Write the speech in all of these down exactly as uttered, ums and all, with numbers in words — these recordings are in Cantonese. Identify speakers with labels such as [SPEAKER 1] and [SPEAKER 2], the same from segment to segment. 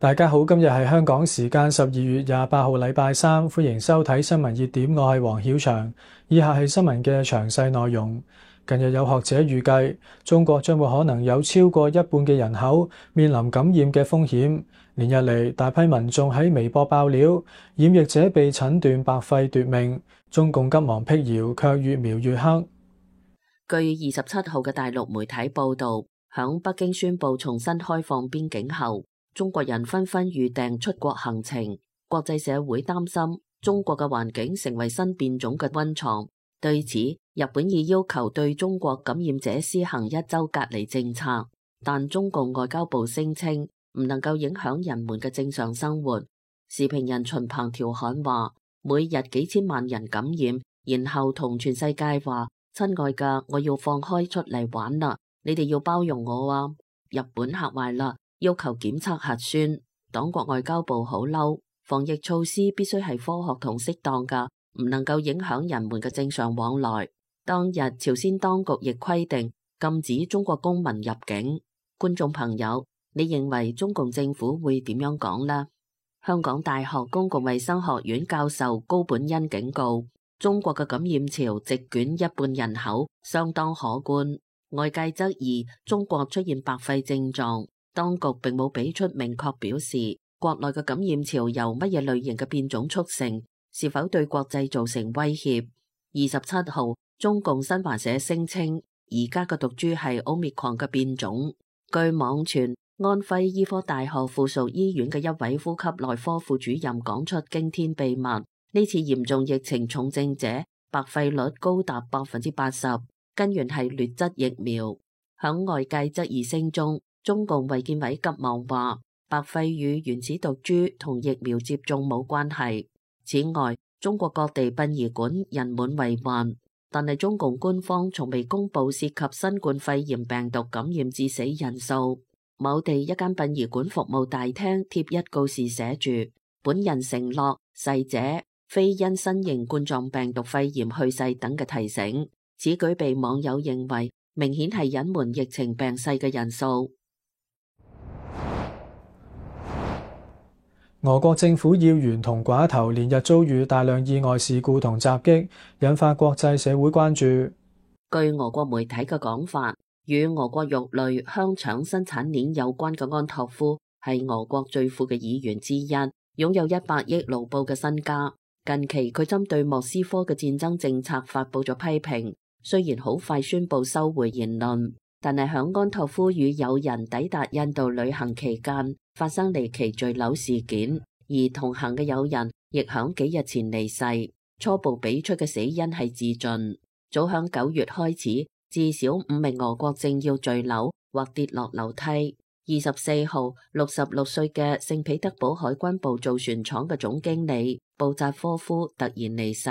[SPEAKER 1] 大家好，今日係香港時間十二月廿八號禮拜三，歡迎收睇新聞熱點，我係黃曉翔。以下係新聞嘅詳細內容。近日有學者預計，中國將會可能有超過一半嘅人口面臨感染嘅風險。連日嚟，大批民眾喺微博爆料，染疫者被診斷白肺奪命，中共急忙闢謠，卻越描越黑。
[SPEAKER 2] 據二十七號嘅大陸媒體報道，響北京宣布重新開放邊境後，中國人紛紛預訂出國行程。國際社會擔心中國嘅環境成為新變種嘅溫床。對此，日本已要求對中國感染者施行一周隔離政策，但中共外交部聲稱唔能夠影響人們嘅正常生活。時評人秦鵬調侃話：每日幾千萬人感染，然後同全世界話：親愛㗎，我要放開出嚟玩啦，你哋要包容我啊！日本嚇壞啦，要求檢測核酸。黨國外交部好嬲，防疫措施必須係科學同適當㗎，唔能夠影響人們嘅正常往來。當日朝鮮當局亦規定禁止中國公民入境。觀眾朋友，你認為中共政府會點樣講呢？香港大學公共衛生學院教授高本恩警告，中國嘅感染潮席捲一半人口，相當可觀。外界質疑中國出現白肺症狀，當局並冇俾出明確表示國內嘅感染潮由乜嘢類型嘅變種促成，是否對國際造成威脅。二十七號，中共新華社聲稱，而家嘅毒株係 Omicron 嘅變種。據網傳，安徽醫科大學附屬醫院嘅一位呼吸內科副主任講出驚天秘密：呢次嚴重疫情重症者白肺率高達百分之八十，根源係劣質疫苗。響外界質疑聲中，中共衛健委急忙話，白肺與原始毒株同疫苗接種冇關係。此外，中國各地殯儀館人滿為患，但係中共官方從未公布涉及新冠肺炎病毒感染致死人數。某地一間殯儀館服務大廳貼一告示寫住：本人承諾逝者非因新型冠狀病毒肺炎去世等嘅提醒。此舉被網友認為明顯係隱瞞疫情病逝嘅人數。
[SPEAKER 1] 俄國政府要員同寡頭連日遭遇大量意外事故同襲擊，引發國際社會關注。
[SPEAKER 2] 據俄國媒體嘅講法，與俄國肉類、香腸生產鏈有關嘅安托夫係俄國最富嘅議員之一，擁有一百億盧布嘅身家。近期佢針對莫斯科嘅戰爭政策發布咗批評，雖然好快宣布收回言論，但係響安托夫與友人抵達印度旅行期間發生離奇墜樓事件，而同行嘅友人亦響幾日前離世。初步俾出嘅死因係自盡。早響九月開始，至少五名俄國政要墜樓或跌落樓梯。二十四號，六十六歲嘅聖彼得堡海軍部造船廠嘅總經理布扎科夫突然離世。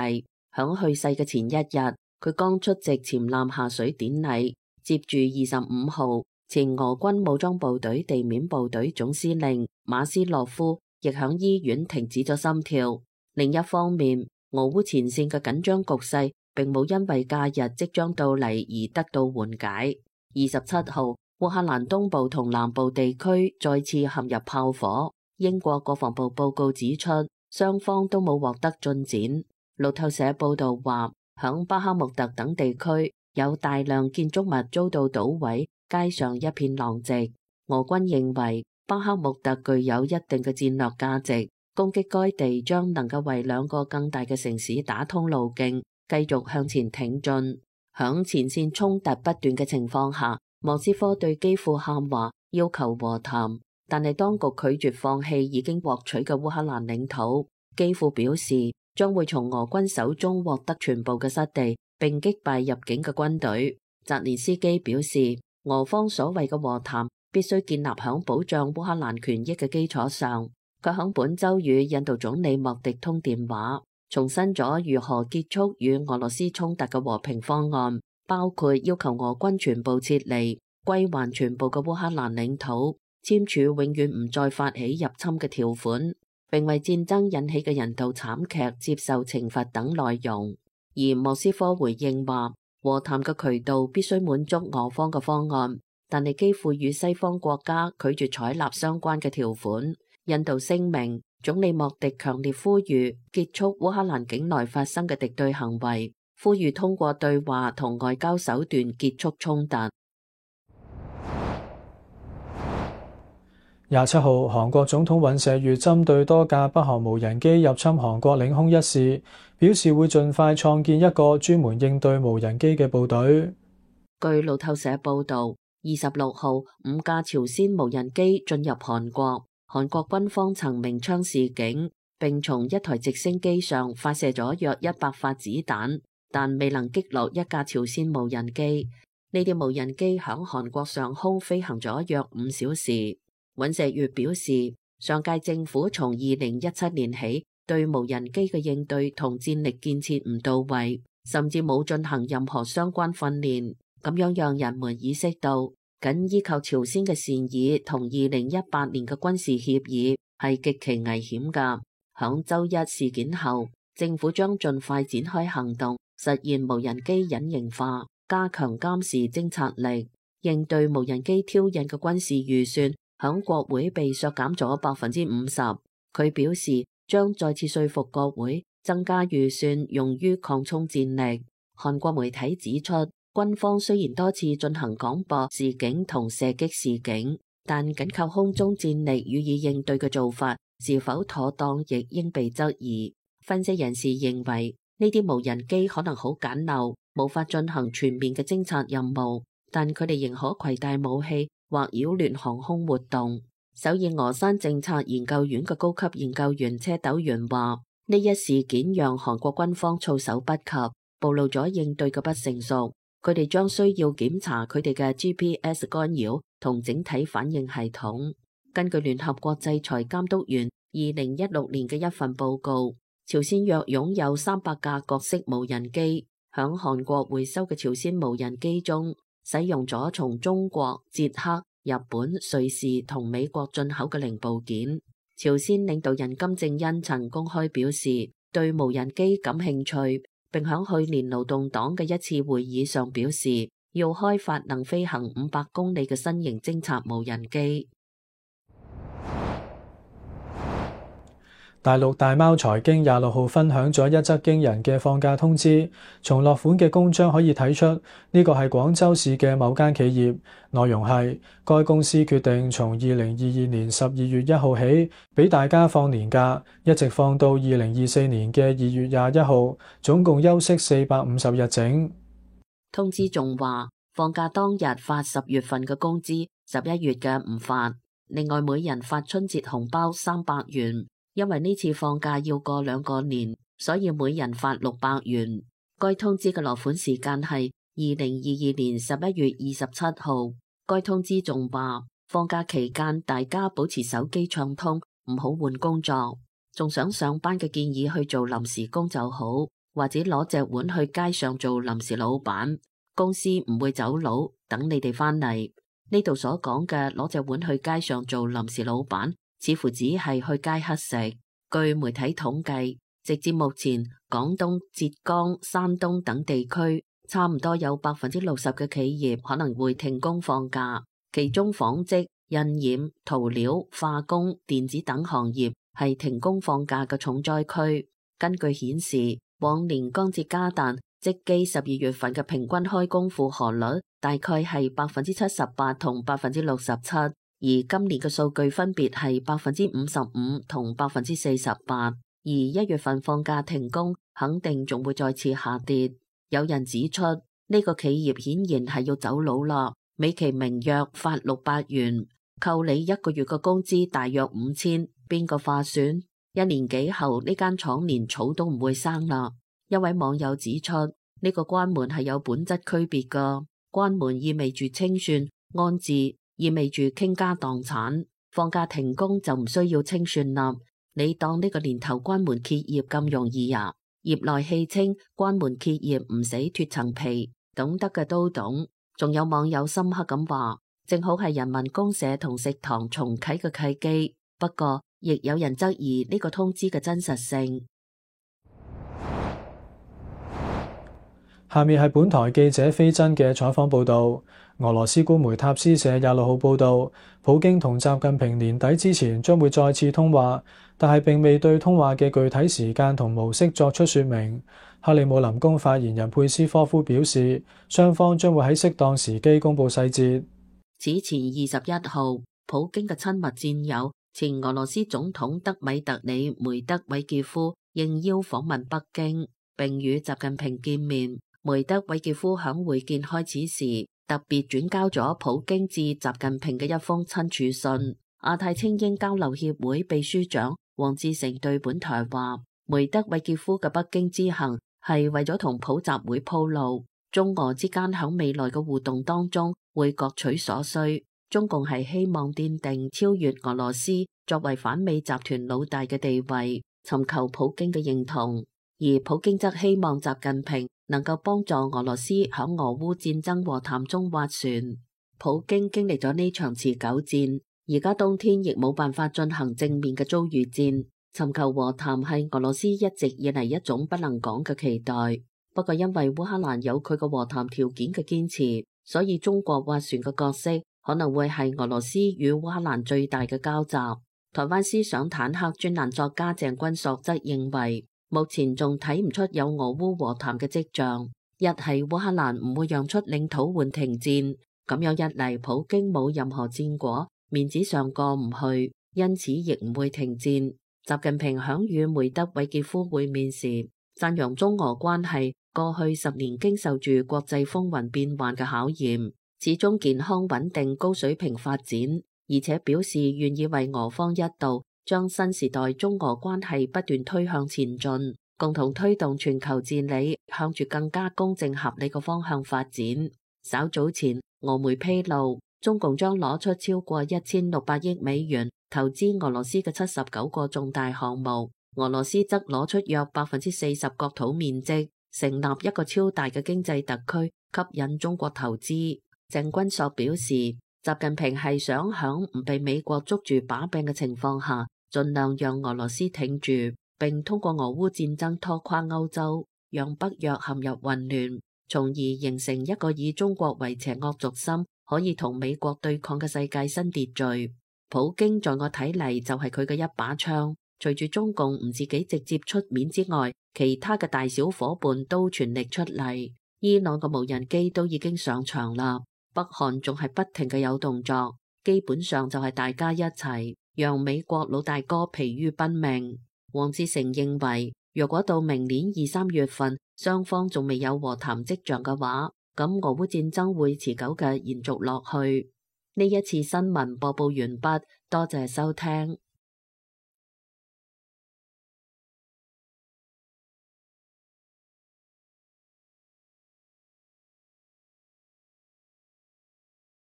[SPEAKER 2] 響去世嘅前一日，佢剛出席潛艦下水典禮。接住二十五號，前俄軍武裝部隊地面部隊總司令馬斯洛夫亦響醫院停止咗心跳。另一方面，俄烏前線嘅緊張局勢並冇因為假日即將到嚟而得到緩解。二十七號，烏克蘭東部同南部地區再次陷入炮火。英國國防部報告指出，雙方都冇獲得進展。路透社報道話，響巴克穆特等地區有大量建築物遭到搗毀，街上一片狼藉。俄軍認為巴克穆特具有一定嘅戰略價值，攻擊該地將能夠為兩個更大嘅城市打通路徑，繼續向前挺進。響前線衝突不斷嘅情況下，莫斯科對基輔喊話，要求和談，但係當局拒絕放棄已經獲取嘅烏克蘭領土。基輔表示將會從俄軍手中獲得全部嘅失地，並擊敗入境嘅軍隊。澤連斯基表示，俄方所謂嘅和談必須建立響保障烏克蘭權益嘅基礎上。佢響本周與印度總理莫迪通電話，重申咗如何結束與俄羅斯衝突嘅和平方案，包括要求俄軍全部撤離、歸還全部嘅烏克蘭領土、簽署永遠唔再發起入侵嘅條款，並為戰爭引起嘅人道慘劇接受懲罰等內容。而莫斯科回應話，和談嘅渠道必須滿足俄方嘅方案，但係基輔與西方國家拒絕採納相關嘅條款。印度聲明，總理莫迪強烈呼籲結束烏克蘭境內發生嘅敵對行為，呼籲通過對話同外交手段結束衝突。
[SPEAKER 1] 廿七號，韓國總統尹錫悅針對多架北韓無人機入侵韓國領空一事，表示會盡快創建一個專門應對無人機嘅部隊。
[SPEAKER 2] 據路透社報導，二十六號，五架朝鮮無人機進入韓國，韓國軍方曾鳴槍示警，並從一台直升機上發射咗約一百發子彈，但未能擊落一架朝鮮無人機。呢啲無人機響韓國上空飛行咗約五小時。尹錫悅表示，上屆政府從二零一七年起對無人機嘅應對同戰力建設唔到位，甚至冇進行任何相關訓練，咁樣讓人們意識到，僅依靠朝鮮嘅善意同二零一八年嘅軍事協議係極其危險㗎。響周一事件後，政府將盡快展開行動，實現無人機隱形化，加強監視偵察力，應對無人機挑釁嘅軍事預算響國會被削減咗百分之五十。佢表示將再次說服國會增加預算用於擴充戰力。韓國媒體指出，軍方雖然多次進行廣播示警同射擊示警，但僅靠空中戰力予以應對嘅做法是否妥當，亦應被質疑。分析人士認為，呢啲無人機可能好簡陋，無法進行全面嘅偵察任務，但佢哋仍可攜帶武器或擾亂航空活動。首爾峨山政策研究院嘅高級研究員車斗元話：呢一事件讓韓國軍方措手不及，暴露咗應對嘅不成熟。佢哋將需要檢查佢哋嘅 G P S 干擾同整體反應系統。根據聯合國制裁監督員二零一六年嘅一份報告，朝鮮約擁有三百架各式無人機，響韓國回收嘅朝鮮無人機中，使用咗從中國、捷克、日本、瑞士同美國進口嘅零部件。朝鮮領導人金正恩曾公開表示對無人機感興趣，並響去年勞動黨嘅一次會議上表示要開發能飛行五百公里嘅新型偵察無人機。
[SPEAKER 1] 大陸大貓財經廿六號分享咗一則驚人嘅放假通知，從落款嘅公章可以睇出呢個係廣州市嘅某間企業。內容係該公司決定從二零二二年十二月一號起俾大家放年假，一直放到二零二四年嘅二月廿一號，總共休息四百五十日整。
[SPEAKER 2] 通知仲話放假當日發十月份嘅工資，十一月嘅唔發。另外每人發春節紅包三百元。因為呢次放假要過兩個年，所以每人發六百元。該通知嘅落款時間係二零二二年十一月二十七號。該通知仲話，放假期間大家保持手機暢通，唔好換工作。仲想上班嘅建議去做臨時工就好，或者攞隻碗去街上做臨時老闆。公司唔會走佬，等你哋返嚟。呢度所講嘅攞隻碗去街上做臨時老闆，似乎只係去街乞食。據媒體統計，直至目前，廣東、浙江、山東等地區差唔多有百分之六十嘅企業可能會停工放假，其中紡織、印染、塗料、化工、電子等行業係停工放假嘅重災區。根據顯示，往年江浙嘉旦積基十二月份嘅平均開工負荷率大概係百分之七十八同百分之六十七。而今年嘅數據分別係百分之五十五同百分之四十八，而一月份放假停工，肯定仲會再次下跌。有人指出，呢、這個企業顯然係要走佬啦，美其名曰發六百元，扣你一個月嘅工資大約五千，邊個劃算？一年幾後呢間廠連草都唔會生啦。一位網友指出，呢、這個關門係有本質區別噶，關門意味住清算安置。意味住傾家蕩產，放假停工就唔需要清算啦。你當呢個年頭關門歇業咁容易啊？業內戲稱關門歇業唔死脫層皮，懂得嘅都懂。仲有網友深刻咁話，正好係人民公社同食堂重啟嘅契機。不過，亦有人質疑呢個通知嘅真實性。
[SPEAKER 1] 下面係本台記者飛真嘅採訪報導。俄羅斯官媒塔斯社廿六號報導，普京同習近平年底之前將會再次通話，但係並未對通話嘅具體時間同模式作出說明。克里姆林宮發言人佩斯科夫表示，雙方將會喺適當時機公佈細節。
[SPEAKER 2] 此前二十一號，普京嘅親密戰友前俄羅斯總統德米特里梅德韋傑夫應邀訪問北京，並與習近平見面。梅德韋傑夫響會見開始時，特別轉交咗普京致習近平嘅一封親署信。亞太青英交流協會秘書長王志成對本台話，梅德韋傑夫嘅北京之行係為咗同普習會鋪路，中俄之間響未來嘅互動當中會各取所需。中共係希望奠定超越俄羅斯作為反美集團老大嘅地位，尋求普京嘅認同，而普京則希望習近平能夠幫助俄羅斯響俄烏戰爭和談中斡旋。普京經歷咗呢場持久戰，而家冬天亦冇辦法進行正面嘅遭遇戰。尋求和談係俄羅斯一直以嚟一種不能講嘅期待。不過因為烏克蘭有佢嘅和談條件嘅堅持，所以中國斡旋嘅角色可能會係俄羅斯與烏克蘭最大嘅交集。台灣思想坦克專欄作家鄭君碩則認為，目前仲睇唔出有俄烏和談嘅跡象。一係烏克蘭唔會讓出領土換停戰，咁樣一嚟普京冇任何戰果，面子上過唔去，因此亦唔會停戰。習近平響與梅德韋傑夫會面時，讚揚中俄關係過去十年經受住國際風雲變幻嘅考驗，始終健康穩定高水平發展，而且表示願意為俄方一道將新時代中俄關係不斷推向前進，共同推動全球治理向住更加公正合理嘅方向發展。稍早前，俄媒披露，中共將攞出超過一千六百億美元投資俄羅斯嘅七十九個重大項目，俄羅斯則攞出約百分之四十國土面積，成立一個超大嘅經濟特區，吸引中國投資。鄭君碩表示，習近平係想響唔被美國捉住把柄嘅情況下，盡量讓俄羅斯挺住，並通過俄烏戰爭拖垮歐洲，讓北約陷入混亂，從而形成一個以中國為邪惡軸心，可以同美國對抗嘅世界新秩序。普京在我睇嚟就係佢嘅一把槍，隨住中共唔自己直接出面之外，其他嘅大小伙伴都全力出嚟。伊朗嘅無人機都已經上場啦，北韓仲係不停嘅有動作，基本上就係大家一齊讓美國老大哥疲於奔命。王志成認為，若果到明年二三月份雙方仲未有和談跡象嘅話，咁俄烏戰爭會持久嘅延續落去。呢一次新聞播報完畢，多謝收聽。